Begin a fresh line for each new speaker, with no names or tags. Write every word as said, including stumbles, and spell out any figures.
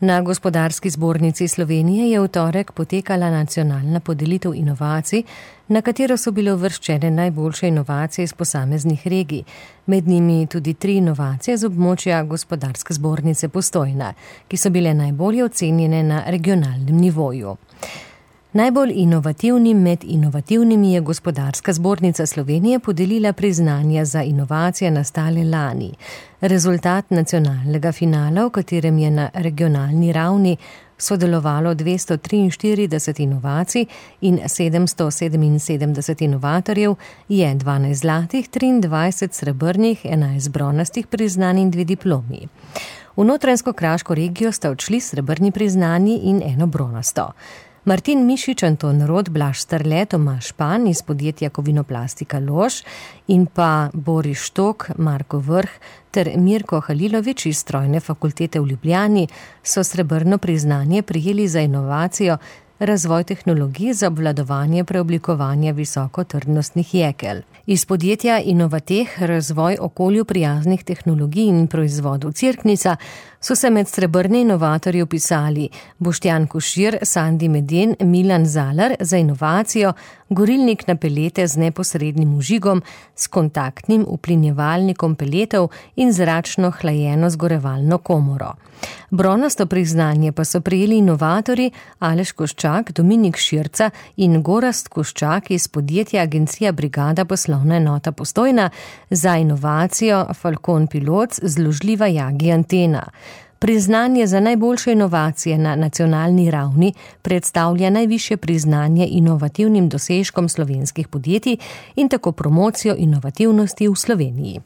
Na Gospodarski zbornici Slovenije je v torek potekala nacionalna podelitev inovacij, na katero so bile uvrščene najboljše inovacije iz posameznih regij, med njimi tudi tri inovacije z območja Gospodarske zbornice Postojna, ki so bile najbolje ocenjene na regionalnem nivoju. Najbolj inovativnim med inovativnimi je Gospodarska zbornica Slovenije podelila priznanja za inovacije nastale lani. Rezultat nacionalnega finala, v katerem je na regionalni ravni sodelovalo dvesto triinštirideset inovacij in sedemsto sedeminsedemdeset inovatorjev, je dvanajst zlatih, triindvajset srebrnih, enajst bronastih priznanj in dve diplomi. V Notranjsko-kraško regijo sta odšli srebrni priznanji in eno bronasto. Martin Mišič, Anton Rod, Blaž Starle, Tomaž Pan iz podjetja Kovinoplastika Lož in pa Boris Štok, Marko Vrh ter Mirko Halilović iz Strojne fakultete v Ljubljani so srebrno priznanje prijeli za inovacijo razvoj tehnologij za obvladovanje preoblikovanja visokotrdnostnih jekel. Iz podjetja Inovateh razvoj okolju prijaznih tehnologij in proizvodov Cirknica so se med srebrne inovatorje vpisali Boštjan Košir, Sandi Meden, Milan Zalar za inovacijo, gorilnik na pelete z neposrednim vžigom, s kontaktnim uplinjevalnikom peletov in zračno hlajeno zgorevalno komoro. Bronasto priznanje pa so prijeli inovatorji Aleš Koščak, Dominik Širca in Gorazd Koščak iz podjetja Agencija Brigada poslovna enota Postojna za inovacijo Falcon Pilot zložljiva Yagi antena. Priznanje za najboljše inovacije na nacionalni ravni predstavlja najvišje priznanje inovativnim dosežkom slovenskih podjetij in tako promocijo inovativnosti v Sloveniji.